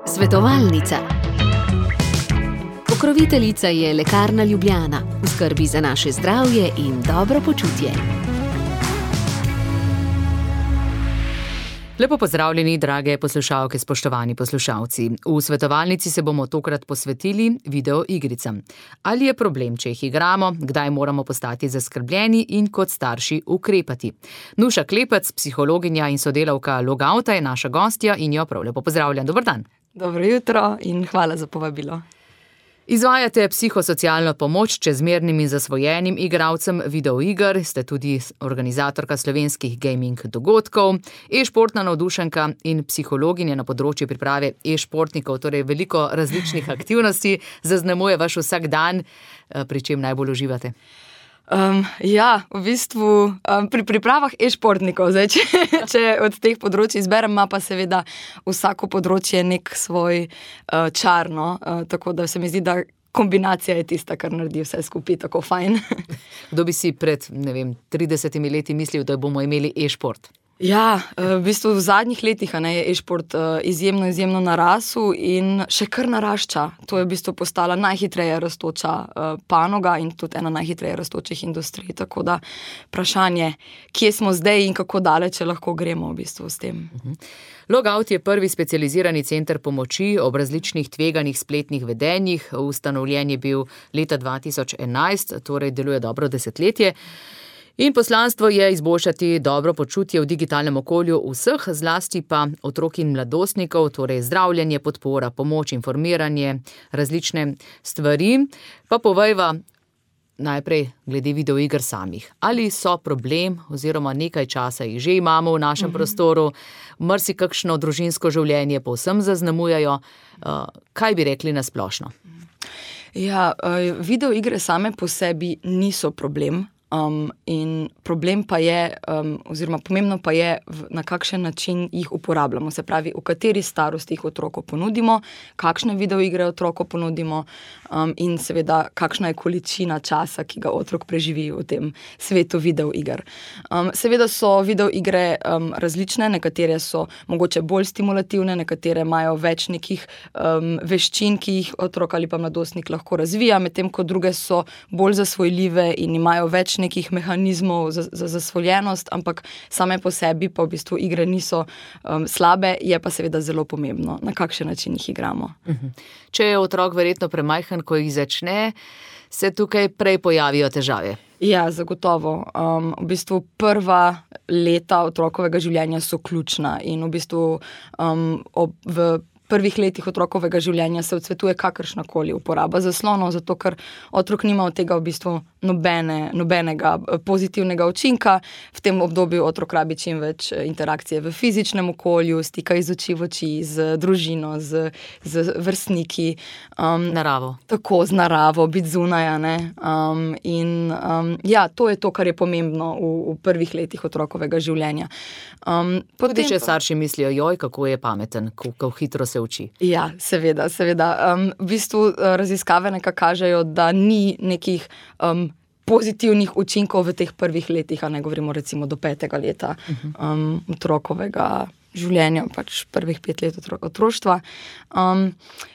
Svetovalnica. Pokroviteljica je Lekarna Ljubljana, v skrbi za naše zdravje in dobro počutje. Lepo pozdravljeni, drage poslušalke, spoštovani poslušalci. V svetovalnici se bomo tokrat posvetili videoigricam. Ali je problem, če jih igramo, kdaj moramo postati zaskrbljeni in kot starši ukrepati? Nuša Klepec, psihologinja in sodelavka Logouta, je naša gostja in jo prav lepo pozdravljam. Dober dan. Dobro jutro in hvala za povabilo. Izvajate psihosocialno pomoč čezmernim in zasvojenim igralcem videoiger, ste tudi organizatorka slovenskih gaming dogodkov, e-športna navdušenka in psihologinja na področju priprave e-športnikov, torej veliko različnih aktivnosti zaznamuje vaš vsak dan, pri čem najbolj uživate. V bistvu pri pripravah e-športnikov, zdaj, če od teh področij izberem, ima pa seveda vsako področje nek svoj čar, tako da se mi zdi, da kombinacija je tista, kar naredi vse skupaj tako fajn. Kdo bi si pred, 30 leti mislil, da bomo imeli e-šport? Ja, v bistvu v zadnjih letih je e-šport izjemno narasel in še kar narašča. To je v bistvu postala najhitreje rastoča panoga in tudi ena najhitreje rastočih industrij. Tako da vprašanje, kje smo zdaj in kako daleč lahko gremo v bistvu s tem. Logout je prvi specializirani center pomoči ob različnih tveganih spletnih vedenjih. Ustanovljen je bil leta 2011, torej deluje dobro desetletje. In poslanstvo je izboljšati dobro počutje v digitalnem okolju vseh, zlasti pa otrok in mladostnikov, torej zdravljenje, podpora, pomoč, informiranje, različne stvari. Pa povejva najprej glede videoiger samih. Ali so problem oziroma nekaj časa jih že imamo v našem prostoru, marsikakšno družinsko življenje povsem zaznamujejo. Kaj bi rekli na splošno? Ja, videoigre same po sebi niso problem. In problem pa je, oziroma pomembno pa je, na kakšen način jih uporabljamo. Se pravi, v kateri starosti jih otroku ponudimo, kakšne videoigre otroku ponudimo in seveda, kakšna je količina časa, ki ga otrok preživi v tem svetu videoiger. Seveda so videoigre različne, nekatere so mogoče bolj stimulativne, nekatere imajo več nekih veščin, ki jih otrok ali pa mladostnik lahko razvija, medtem ko druge so bolj zasvojljive in imajo več nekih mehanizmov za zasvojenost, ampak same po sebi pa v bistvu igre niso slabe, je pa seveda zelo pomembno, na kakšen način jih igramo. Če je otrok verjetno premajhen, ko jih začne, se tukaj prej pojavijo težave. Ja, zagotovo. V bistvu prva leta otrokovega življenja so ključna in v bistvu v prvih letih otrokovega življenja se odsvetuje kakršnakoli uporaba zaslonov, zato ker otrok nima od tega v bistvu nobenega pozitivnega učinka. V tem obdobju otrok rabi čim več interakcije v fizičnem okolju, stika iz oči v oči, z družino, z vrstniki. Naravo. Tako, z naravo, biti zunaj, to je to, kar je pomembno v prvih letih otrokovega življenja. Tudi če starši mislijo, kako je pameten, kako hitro se uči. Ja, seveda. V bistvu raziskave nekako kažejo, da ni nekih pozitivnih učinkov v teh prvih letih, ne govorimo recimo do 5. leta otrokovega življenja, pač prvih 5 let otroštva.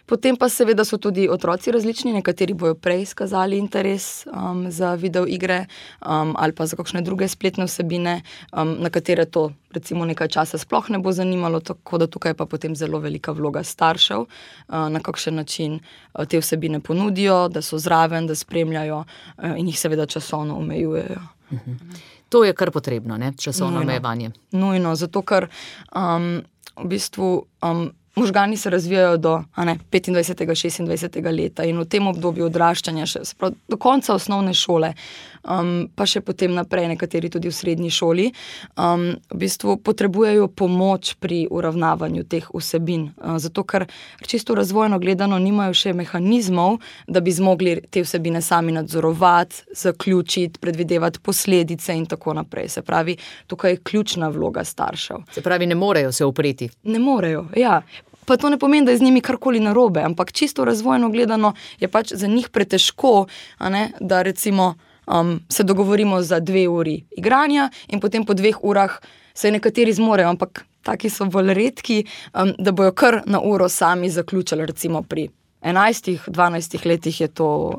Potem pa seveda so tudi otroci različni, nekateri bojo prej izkazali interes za videoigre ali pa za kakšne druge spletne vsebine, na katere to recimo nekaj časa sploh ne bo zanimalo, tako da tukaj pa potem zelo velika vloga staršev, na kakšen način te vsebine ponudijo, da so zraven, da spremljajo in jih seveda časovno omejujejo. To je kar potrebno, časovno omejevanje. Nujno, zato ker v bistvu možgani se razvijajo do 25. 26. leta in v tem obdobju odraščanja do konca osnovne šole, pa še potem naprej, nekateri tudi v srednji šoli, v bistvu potrebujejo pomoč pri uravnavanju teh vsebin, zato ker čisto razvojno gledano nimajo še mehanizmov, da bi zmogli te vsebine sami nadzorovati, zaključiti, predvidevati posledice in tako naprej. Se pravi, tukaj je ključna vloga staršev. Se pravi, ne morejo se upreti. Ne morejo, ja. Pa to ne pomeni, da je z njimi karkoli narobe, ampak čisto razvojno gledano je pač za njih pretežko, da recimo se dogovorimo za 2 uri igranja in potem po 2 urah se nekateri zmorejo, ampak taki so bolj redki, da bojo kar na uro sami zaključili, recimo pri 11-12 letih je to,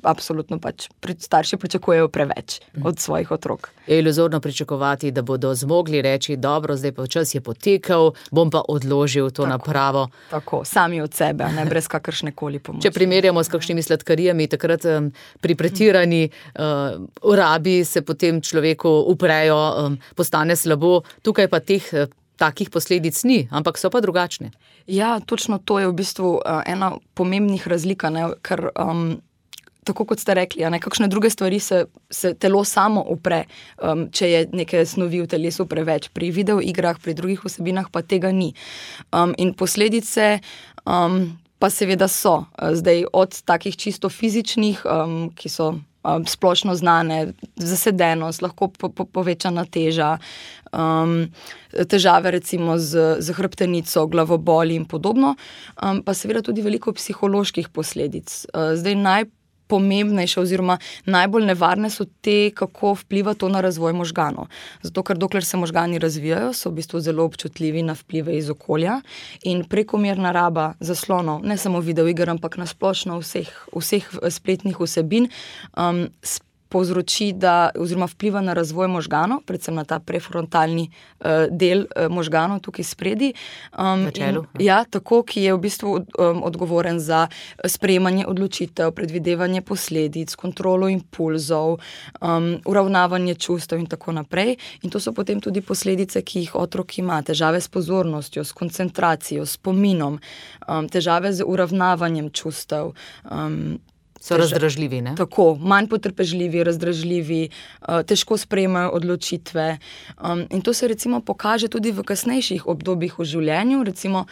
absolutno pač starši pričakujejo preveč od svojih otrok. Je iluzorno pričakovati, da bodo zmogli reči, dobro, zdaj pa čas je potekel, bom pa odložil to napravo. Tako, sami od sebe, ne brez kakršne koli pomoči. Če primerjamo s kakšnimi sladkarijami, takrat pri pretirani uporabi se potem človeku uprejo, postane slabo, tukaj pa takih posledic ni, ampak so pa drugačne. Ja, točno to je v bistvu ena pomembnih razlika, ne, ker tako kot ste rekli, kakšne druge stvari se telo samo upre, če je neke snovi v telesu preveč. Pri videoigrah, pri drugih vsebinah pa tega ni. In posledice pa seveda so. Zdaj od takih čisto fizičnih, ki so splošno znane, zasedenost, lahko povečana teža, težave recimo z hrbtenico, glavoboli in podobno, pa seveda tudi veliko psiholoških posledic. Zdaj najpomembnejše oziroma najbolj nevarne so te, kako vpliva to na razvoj možganov. Zato, ker dokler se možgani razvijajo, so v bistvu zelo občutljivi na vplive iz okolja in prekomerna raba zaslonov, ne samo videoiger, ampak na splošno vseh spletnih vsebin, povzroči, oziroma vpliva na razvoj možganov, predvsem na ta prefrontalni del možganov tukaj spredi. Na čelu. Ja, tako, ki je v bistvu odgovoren za sprejemanje odločitev, predvidevanje posledic, kontrolo impulzov, uravnavanje čustev in tako naprej. In to so potem tudi posledice, ki jih otrok ima. Težave s pozornostjo, s koncentracijo, s spominom, težave z uravnavanjem čustev, so razdražljivi, ne? Tako, manj potrpežljivi, razdražljivi, težko sprejemajo odločitve. In to se recimo pokaže tudi v kasnejših obdobjih v življenju. Recimo,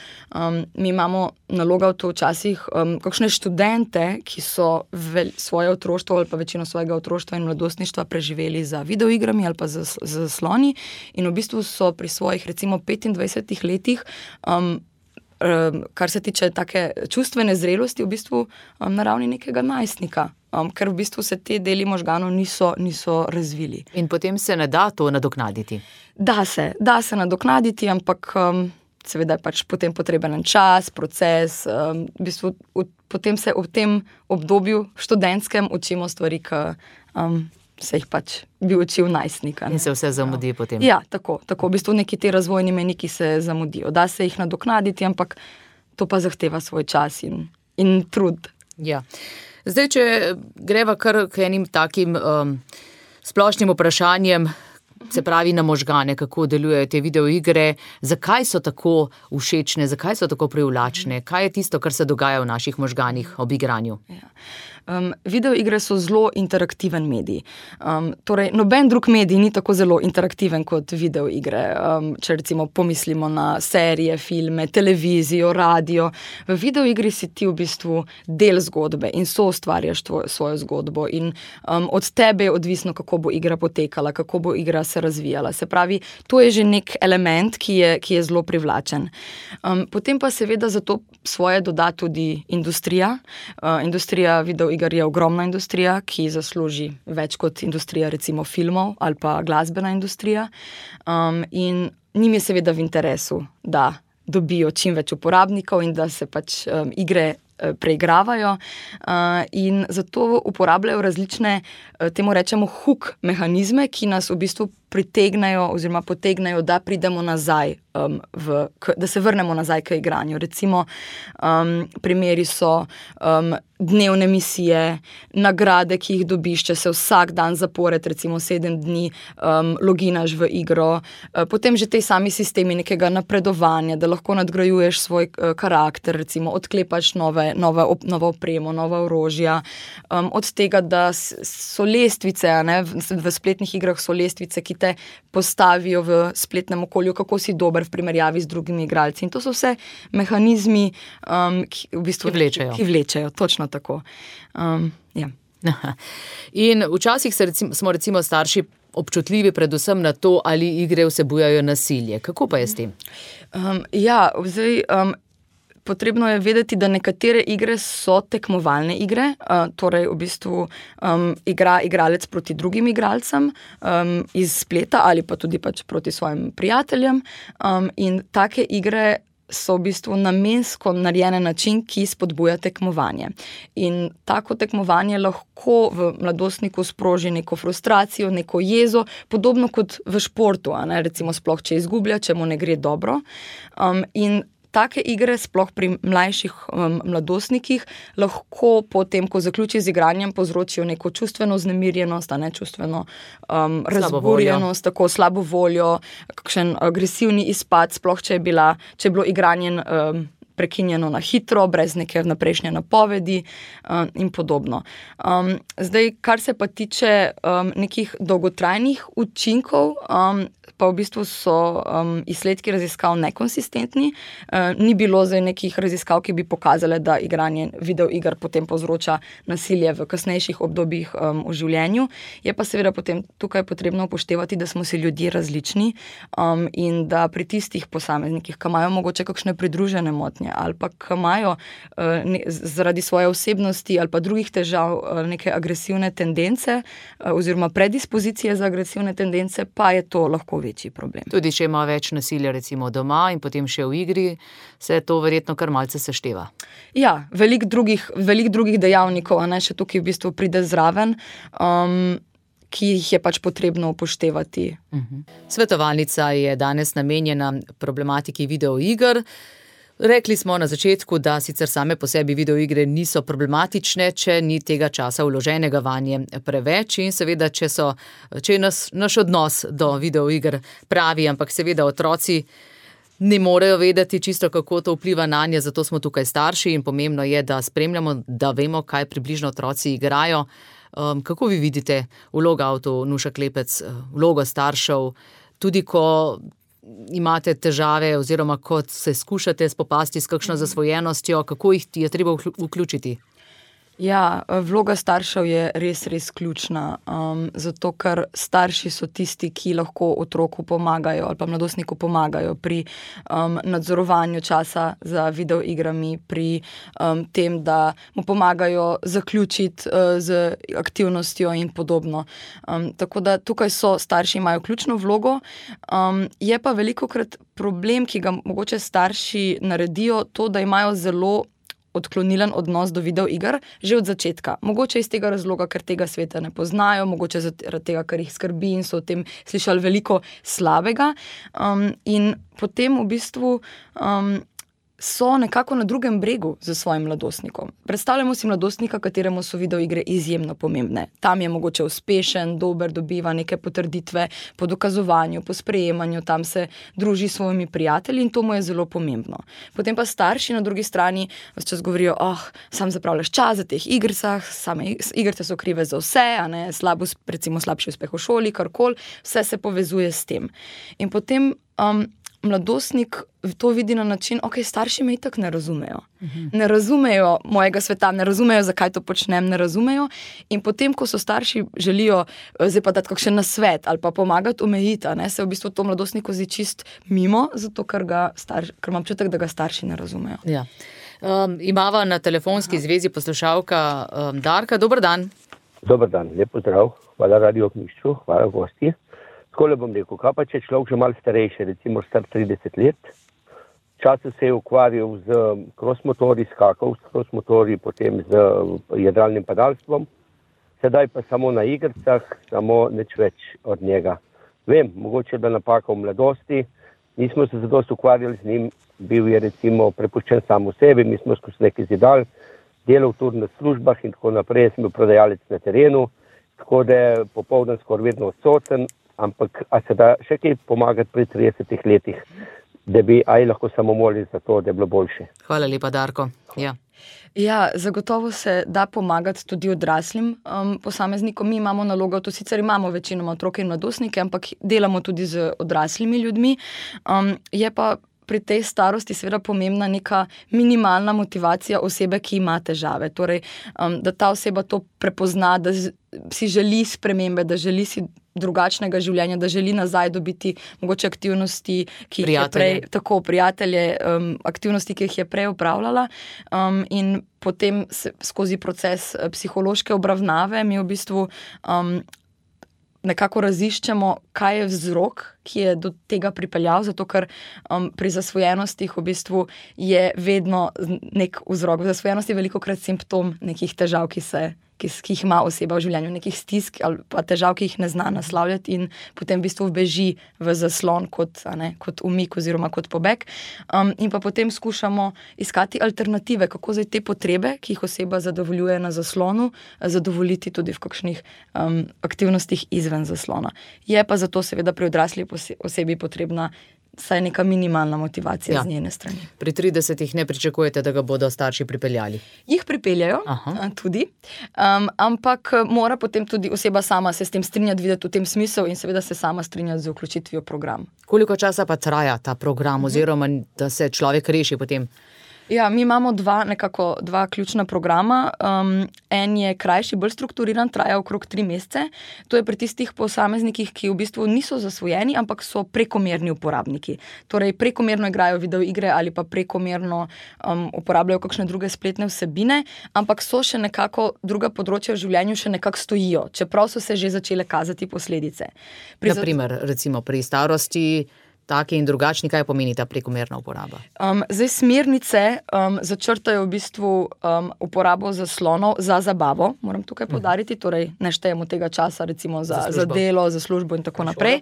mi imamo naloga v to včasih kakšne študente, ki so svoje otroštvo ali pa večino svojega otroštva in mladostništva preživeli za videoigrami ali pa za zasloni in v bistvu so pri svojih recimo 25 letih kar se tiče take čustvene zrelosti, v bistvu na ravni nekega najstnika, ker v bistvu se te deli možganov niso razvili. In potem se ne da to nadoknaditi? Da se nadoknaditi, ampak seveda je pač potem potreben čas, proces, v bistvu potem se v tem obdobju študentskem učimo stvari, ki se jih pač bi učil najstnika. In se vse zamudi potem. Ja, tako. V bistvu neki te razvojni mejniki se zamudijo. Da se jih nadoknaditi, ampak to pa zahteva svoj čas in trud. Ja. Zdaj, če greva kar k enim takim splošnim vprašanjem, se pravi na možgane, kako delujejo te videoigre, zakaj so tako všečne, zakaj so tako privlačne, kaj je tisto, kar se dogaja v naših možganih ob igranju? Ja. Videoigre so zelo interaktiven medij. Torej, noben drug medij ni tako zelo interaktiven kot videoigre. Če recimo pomislimo na serije, filme, televizijo, radio. V videoigri si ti v bistvu del zgodbe in soustvarjaš svojo zgodbo in od tebe je odvisno, kako bo igra potekala, kako bo igra se razvijala. Se pravi, to je že nek element, ki je zelo privlačen. Potem pa seveda za to svoje doda tudi industrija. Industrija videoiger je ogromna industrija, ki zasluži več kot industrija recimo filmov ali pa glasbena industrija. In njim je seveda v interesu, da dobijo čim več uporabnikov in da se pač igre preigravajo in zato uporabljajo različne, temu rečemo hook mehanizme, ki nas v bistvu pritegnejo oziroma potegnejo, da pridemo nazaj, da se vrnemo nazaj k igranju. Recimo, primeri so dnevne misije, nagrade, ki jih dobiš, če se vsak dan zapored, recimo 7 dni, loginaš v igro, potem že te sami sistemi nekega napredovanja, da lahko nadgrajuješ svoj karakter, recimo odklepaš novo opremo, nova orožja, od tega, da so lestvice, v spletnih igrah so lestvice, ki te postavijo v spletnem okolju, kako si dober v primerjavi z drugimi igralci. In to so vse mehanizmi, ki vlečejo, točno tako. Ja. In včasih smo recimo starši občutljivi predvsem na to, ali igre vsebujajo nasilje. Kako pa je s tem? Ja, zdaj potrebno je vedeti, da nekatere igre so tekmovalne igre, torej v bistvu igra igralec proti drugim igralcem iz spleta ali pa tudi pač proti svojim prijateljem, in take igre so v bistvu namensko narejene na način, ki spodbuja tekmovanje. In tako tekmovanje lahko v mladostniku sproži neko frustracijo, neko jezo, podobno kot v športu, recimo sploh, če izgublja, če mu ne gre dobro. In take igre, sploh pri mlajših mladostnikih, lahko potem, ko zaključi z igranjem, povzročijo neko čustveno vznemirjenost, čustveno razburjenost, tako slabo voljo, kakšen agresivni izpad, sploh če je bilo igranje prekinjeno na hitro, brez neke vnaprejšnje napovedi in podobno. Zdaj, kar se pa tiče nekih dolgotrajnih učinkov, pa v bistvu so izsledki raziskav nekonsistentni. Ni bilo zdaj nekih raziskav, ki bi pokazale, da igranje videoiger potem povzroča nasilje v kasnejših obdobjih v življenju. Je pa seveda potem tukaj potrebno upoštevati, da smo si ljudje različni in da pri tistih posameznikih, ki imajo mogoče kakšne pridružene motnje ali pa ki imajo zaradi svoje osebnosti ali pa drugih težav neke agresivne tendence oziroma predispozicije za agresivne tendence, pa je to lahko večji problem. Tudi če ima več nasilja recimo doma in potem še v igri, se to verjetno kar malce sešteva. Ja, veliko drugih dejavnikov, še tukaj v bistvu pride zraven, ki jih je pač potrebno upoštevati. Svetovalnica je danes namenjena problematiki videoiger. Rekli smo na začetku, da sicer same po sebi videoigre niso problematične, če ni tega časa vloženega vanje preveč in seveda, če je naš odnos do videoiger pravi, ampak seveda otroci ne morejo vedeti čisto, kako to vpliva nanje, zato smo tukaj starši in pomembno je, da spremljamo, da vemo, kaj približno otroci igrajo. Kako vi vidite vlogo Nuša Klepec, vlogo staršev, tudi ko imate težave oziroma kot se skušate spopasti s kakšno zasvojenostjo, kako jih je treba vključiti? Ja, vloga staršev je res ključna, zato ker starši so tisti, ki lahko otroku pomagajo ali pa mladostniku pomagajo pri nadzorovanju časa za videoigrami, pri tem, da mu pomagajo zaključiti z aktivnostjo in podobno. Tako da tukaj starši imajo ključno vlogo, je pa velikokrat problem, ki ga mogoče starši naredijo, to, da imajo zelo odklonilen odnos do videoiger že od začetka. Mogoče iz tega razloga, ker tega sveta ne poznajo, mogoče zaradi tega, ker jih skrbi in so o tem slišali veliko slabega. In potem v bistvu so nekako na drugem bregu z svojim mladostnikom. Predstavljamo si mladostnika, kateremu so videoigre izjemno pomembne. Tam je mogoče uspešen, dober, dobiva neke potrditve po dokazovanju, po sprejemanju, tam se druži s svojimi prijatelji in to mu je zelo pomembno. Potem pa starši na drugi strani ves čas govorijo, sam zapravljaš čas za teh igricah, same igrice so krive za vse, recimo slabši uspeh v šoli, karkoli, vse se povezuje s tem. In potem mladostnik to vidi na način, starši me itak ne razumejo. Ne razumejo mojega sveta, ne razumejo, zakaj to počnem, ne razumejo. In potem, ko so starši želijo zdaj pa dati kakšen nasvet ali pa pomagati omejiti, se v bistvu to mladostniku zdi čist mimo, zato ker imam občutek, da ga starši ne razumejo. Ja. Imava na telefonski zvezi poslušalka Darka. Dober dan. Dober dan, lep pozdrav. Hvala Radio Ognjišču, hvala gosti. Takole bom rekel, kaj pa če človek že malo starejši, recimo star 30 let, včasih se je ukvarjal z cross-motorji, skakal s cross-motorji, potem z jadralnim padalstvom, sedaj pa samo na igricah, samo nič več od njega. Vem, mogoče da napaka v mladosti, nismo se zadosti ukvarjali z njim, bil je recimo prepuščen sam v sebi, mi smo skozi nekaj zidal, delal tudi na službah in tako naprej, sem bil prodajalec na terenu, tako da je popoldan skoraj vedno odsoten. Ampak, a se da še kaj pomagati pri 30 letih, da bi lahko samo molili za to, da je bilo boljše? Hvala lepa, Darko. Ja, zagotovo se da pomagati tudi odraslim posameznikom. Mi imamo nalogo, to sicer imamo večinoma otroke in mladostnike, ampak delamo tudi z odraslimi ljudmi. Je pa pri tej starosti seveda pomembna neka minimalna motivacija osebe, ki ima težave. Torej, da ta oseba to prepozna, da si želi spremembe, da želi si drugačnega življenja, da želi nazaj dobiti mogoče aktivnosti, ki jih je prej, tako prijatelje, aktivnosti, ki jih je prej upravljala, in potem skozi proces psihološke obravnave mi v bistvu nekako raziščemo, kaj je vzrok, ki je do tega pripeljal, zato ker pri zasvojenostih v bistvu je vedno nek vzrok. Zasvojenost je velikokrat simptom nekih težav, ki jih ima oseba v življenju, nekih stisk ali pa težav, ki jih ne zna naslavljati in potem v bistvu beži v zaslon kot umik oziroma kot pobeg. In pa potem skušamo iskati alternative, kako zdaj te potrebe, ki jih oseba zadovoljuje na zaslonu, zadovoljiti tudi v kakšnih aktivnostih izven zaslona. Je pa zato seveda pri odrasli osebi potrebna saj neka minimalna motivacija z njene strani. Pri 30-ih ne pričakujete, da ga bodo starši pripeljali? Jih pripeljajo tudi, ampak mora potem tudi oseba sama se s tem strinjati, videti v tem smislu in seveda se sama strinjati z vključitvijo v program. Koliko časa pa traja ta program oziroma da se človek reši potem? Ja, mi imamo dva ključna programa. En je krajši, bolj strukturiran, traja okrog 3 mesece. To je pri tistih posameznikih, ki v bistvu niso zasvojeni, ampak so prekomerni uporabniki. Torej, prekomerno igrajo videoigre ali pa prekomerno uporabljajo kakšne druge spletne vsebine, ampak so še nekako druga področja v življenju še nekako stojijo, čeprav so se že začele kazati posledice. Naprimer, recimo pri starosti, taki in drugačni, kaj pomeni ta prekomerna uporaba? Zdaj smernice začrtajo v bistvu uporabo zaslonov za zabavo, moram tukaj poudariti, torej ne štejemo tega časa recimo za delo, za službo in tako naprej.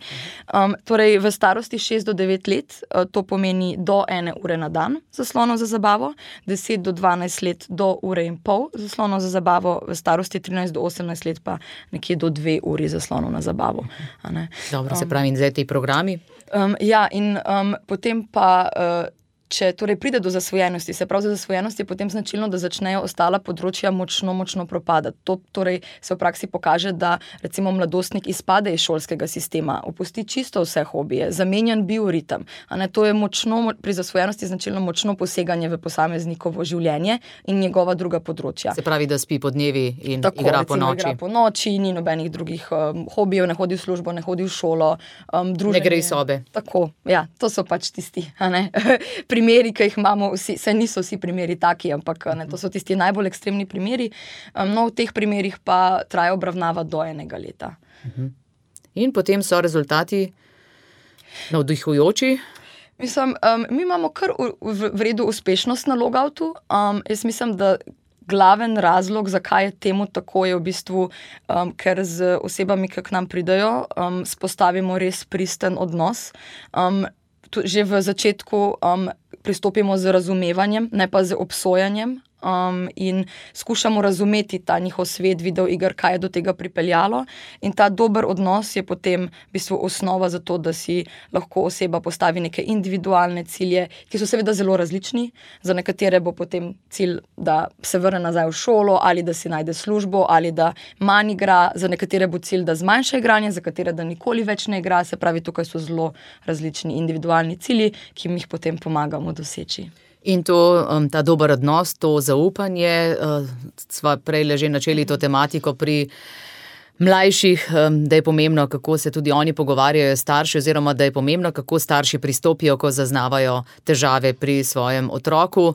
Torej v starosti 6 do 9 let to pomeni do 1 ure na dan zaslonov za zabavo, 10 do 12 let do 1,5 ure zaslonov za zabavo, v starosti 13 do 18 let pa nekje do 2 uri zaslonov na zabavo. Dobro, se pravi, in zdaj ti programi? Ja, in potem pa, če torej pride do zasvojenosti, se pravi za zasvojenost je potem značilno, da začnejo ostala področja močno propadati. To torej se v praksi pokaže, da recimo mladostnik izpade iz šolskega sistema, opusti čisto vse hobije, zamenjan bioritem. To je pri zasvojenosti značilno močno poseganje v posameznikovo življenje in njegova druga področja. Se pravi, da spi po dnevi in igra po noči. Igra po noči, ni nobenih drugih hobijev, ne hodi v službo, ne hodi v šolo, druženje. Ne gre iz sobe. Tako, ja, to so pač tisti, primeri, ki jih imamo vsi, saj niso vsi primeri taki, ampak to so tisti najbolj ekstremni primeri. No, v teh primerih pa traja obravnava do 1 leta. In potem so rezultati navdihujoči? Mislim, mi imamo kar v redu uspešnost na logoutu. Jaz mislim, da glaven razlog, zakaj je temu tako, je v bistvu, ker z osebami, ki k nam pridejo, spostavimo res pristen odnos. Že v začetku pristopimo z razumevanjem, ne pa z obsojanjem, in skušamo razumeti ta njihov svet videoiger, kaj je do tega pripeljalo. In ta dober odnos je potem v bistvu osnova za to, da si lahko oseba postavi neke individualne cilje, ki so seveda zelo različni. Za nekatere bo potem cilj, da se vrne nazaj v šolo ali da si najde službo ali da manj igra. Za nekatere bo cilj, da zmanjša igranje, za katere da nikoli več ne igra. Se pravi, tukaj so zelo različni individualni cilji, ki jim jih potem pomagamo doseči. In ta dober odnos, to zaupanje, sva prej že načeli to tematiko pri mlajših, da je pomembno, kako se tudi oni pogovarjajo s starši, oziroma da je pomembno, kako starši pristopijo, ko zaznavajo težave pri svojem otroku.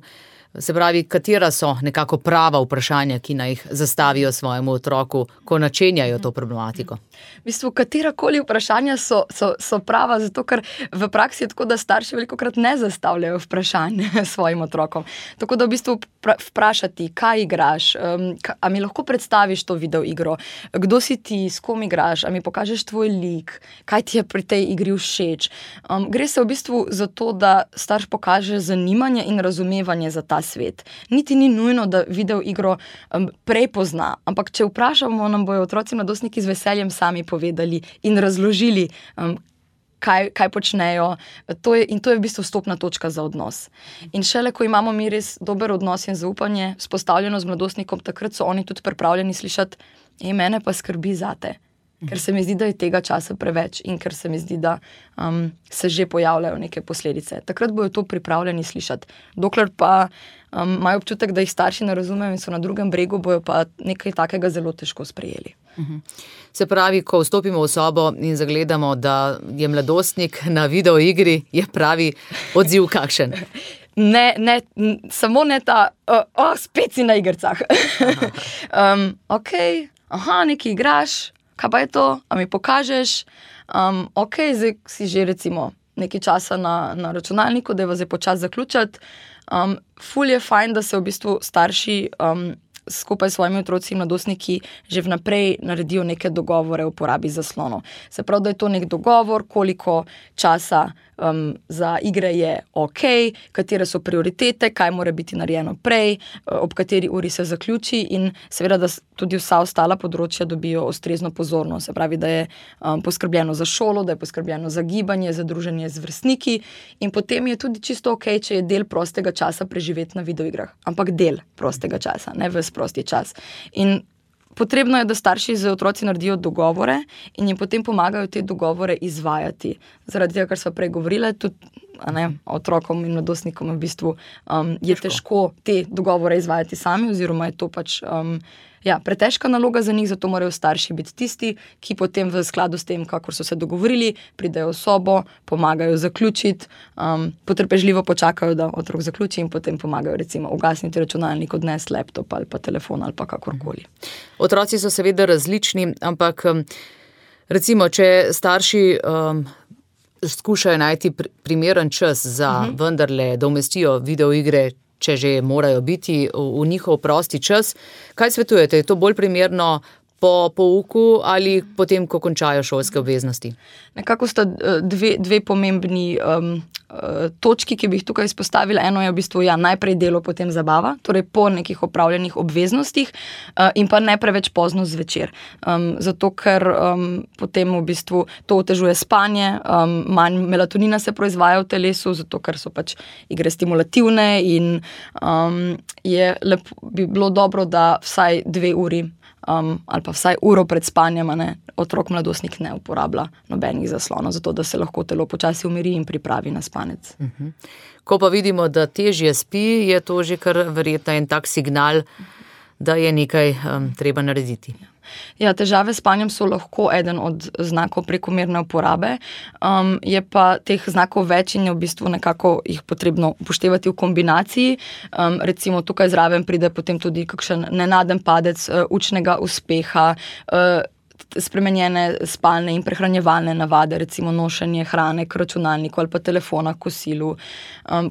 Se pravi, katera so nekako prava vprašanja, ki naj jih zastavijo svojemu otroku, ko načenjajo to problematiko? V bistvu, katerakoli vprašanja so prava, zato ker v praksi je tako, da starši velikokrat ne zastavljajo vprašanj svojim otrokom. Tako da v bistvu vprašati, kaj igraš, a mi lahko predstaviš to videoigro, kdo si ti, s kom igraš, a mi pokažeš tvoj lik, kaj ti je pri tej igri všeč. Gre se v bistvu za to, da starš pokaže zanimanje in razumevanje za ta svet. Niti ni nujno, da videoigro prej pozna, ampak če vprašamo, nam bojo otroci mladostniki z veseljem sami povedali in razložili, kaj počnejo. To je v bistvu vstopna točka za odnos. In šele, ko imamo mi res dober odnos in zaupanje vzpostavljeno z mladostnikom, takrat so oni tudi pripravljeni slišati, mene pa skrbi zate. Ker se mi zdi, da je tega časa preveč in ker se mi zdi, da se že pojavljajo neke posledice. Takrat bojo to pripravljeni slišati. Dokler pa imajo občutek, da jih starši ne razumejo in so na drugem bregu, bojo pa nekaj takega zelo težko sprejeli. Se pravi, ko vstopimo v sobo in zagledamo, da je mladostnik na videoigri, je pravi odziv kakšen? Ne, samo ne ta, spet si na igrcah. Ok, nekaj igraš, kaj pa je to, a mi pokažeš, ok, zdaj si že recimo nekaj časa na računalniku, da je vas je počas zaključati. Ful je fajn, da se v bistvu starši skupaj s svojimi otroci in mladostniki že vnaprej naredijo neke dogovore o uporabi zaslonov. Se pravi, da je to nek dogovor, koliko časa za igre je ok, katere so prioritete, kaj mora biti narejeno prej, ob kateri uri se zaključi in seveda, da tudi vsa ostala področja dobijo ustrezno pozornost. Se pravi, da je poskrbljeno za šolo, da je poskrbljeno za gibanje, za druženje z vrstniki in potem je tudi čisto ok, če je del prostega časa preživeti na videoigrah. Ampak del prostega časa, ne ves prosti čas. In potrebno je, da starši z otroci naredijo dogovore in jim potem pomagajo te dogovore izvajati. Zaradi tega, kar sva prej govorila, tudi otrokom in mladostnikom v bistvu je težko te dogovore izvajati sami oziroma je to pač pretežka naloga za njih, zato morajo starši biti tisti, ki potem v skladu s tem, kakor so se dogovorili, pridejo v sobo, pomagajo zaključiti, potrpežljivo počakajo, da otrok zaključi in potem pomagajo recimo ugasniti računalnik, odnesti laptop ali pa telefon ali pa kakorkoli. Otroci so seveda različni, ampak recimo, če starši skušajo najti primeren čas za vendarle, da umestijo videoigre, če že morajo biti v njihov prosti čas. Kaj svetujete? Je to bolj primerno po pouku ali potem, ko končajo šolske obveznosti? Nekako sta dve pomembni točki, ki bi jih tukaj izpostavila. Eno je v bistvu najprej delo, potem zabava, torej po nekih opravljenih obveznostih in pa ne preveč pozno zvečer. Zato, ker potem v bistvu to otežuje spanje, manj melatonina se proizvaja v telesu, zato ker so pač igre stimulativne in bi bilo dobro, da vsaj 2 uri ali pa vsaj uro pred spanjem otrok mladostnik ne uporablja nobenih zaslonov, zato da se lahko telo počasi umiri in pripravi na spanec. Ko pa vidimo, da težje spi, je to že kar verjetno en tak signal, da je nekaj treba narediti. Ja, težave s spanjem so lahko eden od znakov prekomerne uporabe, je pa teh znakov več in je v bistvu nekako jih potrebno upoštevati v kombinaciji. Recimo tukaj zraven pride potem tudi kakšen nenaden padec učnega uspeha, spremenjene spalne in prehranjevalne navade, recimo nošenje hrane k računalniku ali pa telefona k kosilu.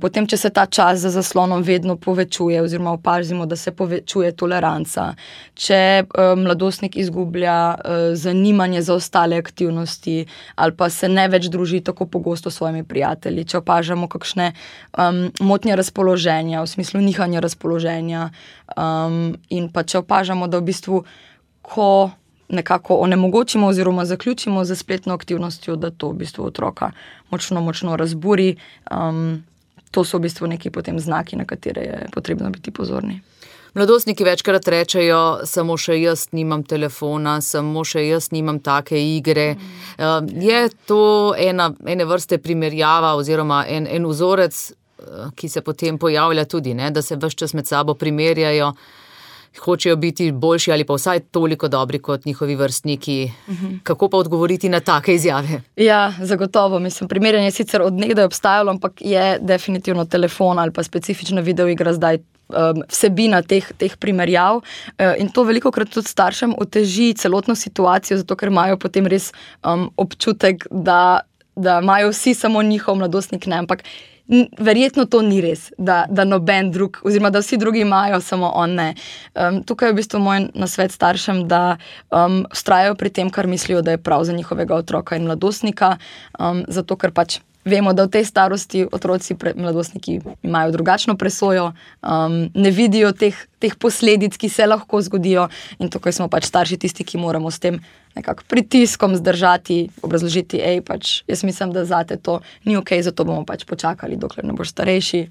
Potem, če se ta čas za zaslonom vedno povečuje oziroma opazimo, da se povečuje toleranca, če mladostnik izgublja zanimanje za ostale aktivnosti ali pa se ne več druži tako pogosto s svojimi prijatelji, če opažamo kakšne motnje razpoloženja, v smislu nihanja razpoloženja in pa če opažamo, da v bistvu, ko nekako onemogočimo oziroma zaključimo za spletno aktivnostjo, da to v bistvu otroka močno razburi. To so v bistvu neki potem znaki, na katere je potrebno biti pozorni. Mladostniki večkrat rečejo, samo še jaz nimam telefona, samo še jaz nimam take igre. Je to ene vrste primerjava oziroma en vzorec, ki se potem pojavlja tudi, da se ves čas med sabo primerjajo, hočejo biti boljši ali pa vsaj toliko dobri kot njihovi vrstniki. Kako pa odgovoriti na take izjave? Ja, zagotovo. Primerjanje sicer od nekdaj obstajalo, ampak je definitivno telefon ali pa specifična videoigra zdaj vsebina teh primerjav in to velikokrat tudi staršem oteži celotno situacijo, zato ker imajo potem res občutek, da imajo vsi samo njihov mladostnik, ne, ampak verjetno to ni res, da noben drug, oziroma da vsi drugi imajo, samo on ne. Tukaj je v bistvu moj nasvet staršem, da vztrajajo pri tem, kar mislijo, da je prav za njihovega otroka in mladostnika, zato ker pač vemo, da v tej starosti otroci, mladostniki imajo drugačno presojo, ne vidijo teh posledic, ki se lahko zgodijo in tukaj smo pač starši tisti, ki moramo s tem nekako pritiskom zdržati, obrazložiti, pač jaz mislim, da zate to ni ok, zato bomo pač počakali, dokler ne boš starejši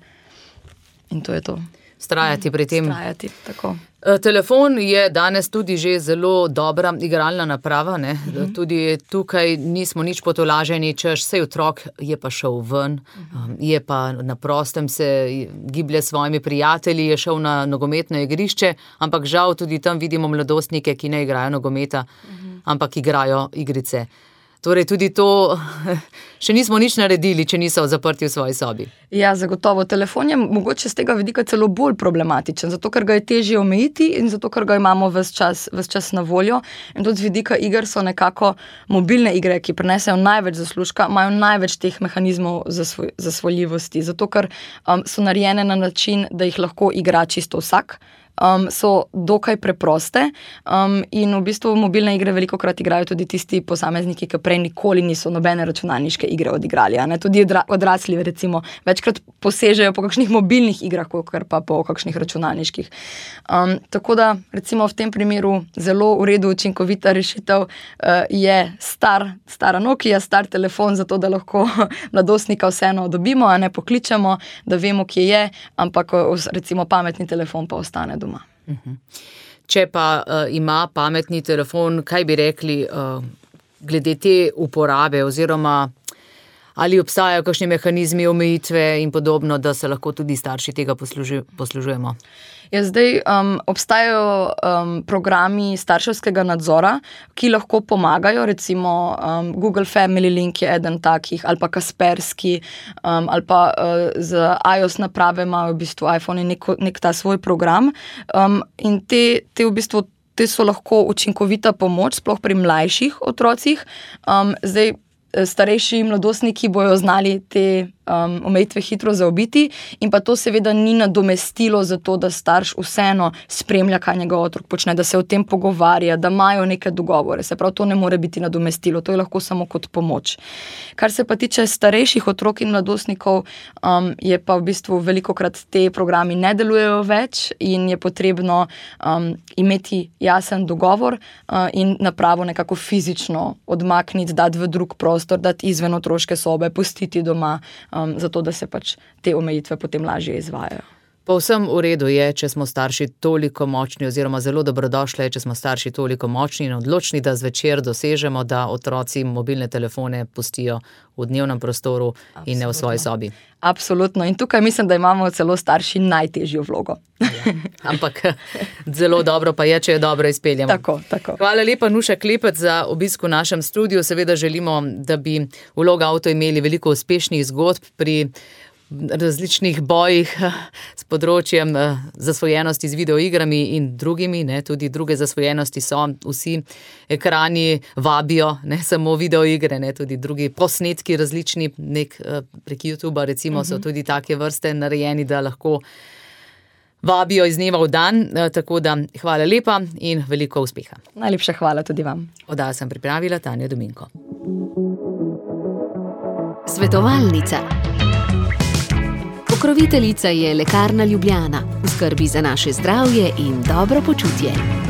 in to je to. Vztrajati pri tem. Vztrajati, tako. Telefon je danes tudi že zelo dobra igralna naprava, ne? Tudi tukaj nismo nič potolaženi, češ sej otrok je pa šel ven, je pa na prostem se giblje s svojimi prijatelji, je šel na nogometno igrišče, ampak žal tudi tam vidimo mladostnike, ki ne igrajo nogometa, ampak igrajo igrice. Torej tudi to še nismo nič naredili, če niso zaprti v svoji sobi. Ja, zagotovo. Telefon je mogoče z tega vidika celo bolj problematičen, zato ker ga je težje omejiti in zato ker ga imamo ves čas na voljo. In tudi z vidika iger so nekako mobilne igre, ki prinesejo največ zaslužka, imajo največ teh mehanizmov zasvojljivosti, zato ker so narejene na način, da jih lahko igra čisto vsak. So dokaj preproste in v bistvu mobilne igre velikokrat igrajo tudi tisti posamezniki, ki prej nikoli niso nobene računalniške igre odigrali. Tudi odrasli recimo večkrat posežejo po kakšnih mobilnih igrah, kakor pa po kakšnih računalniških. Tako da recimo v tem primeru zelo v redu učinkovita rešitev je stara Nokia, star telefon, zato da lahko mladostnika vseeno dobimo, a ne pokličemo, da vemo, kje je, ampak recimo pametni telefon pa ostane doma. Če pa ima pametni telefon, kaj bi rekli glede te uporabe oziroma ali obstajajo kakšni mehanizmi omejitve in podobno, da se lahko tudi starši tega poslužujemo? Ja, zdaj obstajajo programi starševskega nadzora, ki lahko pomagajo, recimo Google Family Link je eden takih, ali pa Kaspersky, ali pa z iOS naprave imajo v bistvu iPhone nek ta svoj program in te v bistvu te so lahko učinkovita pomoč, sploh pri mlajših otrocih. Zdaj starejši mladostniki bojo znali te omejitve hitro zaobiti in pa to seveda ni nadomestilo za to, da starš vseeno spremlja, kaj njegov otrok počne, da se o tem pogovarja, da imajo neke dogovore. Se pravi, to ne more biti nadomestilo, to je lahko samo kot pomoč. Kar se pa tiče starejših otrok in mladostnikov, je pa v bistvu velikokrat te programi ne delujejo več in je potrebno imeti jasen dogovor in napravo nekako fizično odmakniti, dati v drug prostor, dati izven otroške sobe, pustiti doma, zato da se pač te omejitve potem lažje izvajajo. Povsem v redu je, če smo starši toliko močni oziroma zelo dobrodošle, če smo starši toliko močni in odločni, da zvečer dosežemo, da otroci mobilne telefone pustijo v dnevnem prostoru in ne v svoji sobi. Absolutno. In tukaj mislim, da imamo celo starši najtežjo vlogo. Ja, ampak zelo dobro pa je, če jo dobro izpeljamo. Tako. Hvala lepa, Nuša Klepec, za obisk v našem studiu. Seveda želimo, da bi v Logauto imeli veliko uspešnih zgodb pri različnih bojih s področjem zasvojenosti z videoigrami in drugimi, ne, tudi druge zasvojenosti so, vsi ekrani vabijo, ne samo videoigre, ne, tudi drugi posnetki različni, prek YouTubea recimo so tudi take vrste narejeni, da lahko vabijo iz dneva v dan, tako da hvala lepa in veliko uspeha. Najlepša hvala tudi vam. Oddajo sem pripravila Tanja Dominko. Svetovalnica. Pokroviteljica je Lekarna Ljubljana, v skrbi za naše zdravje in dobro počutje.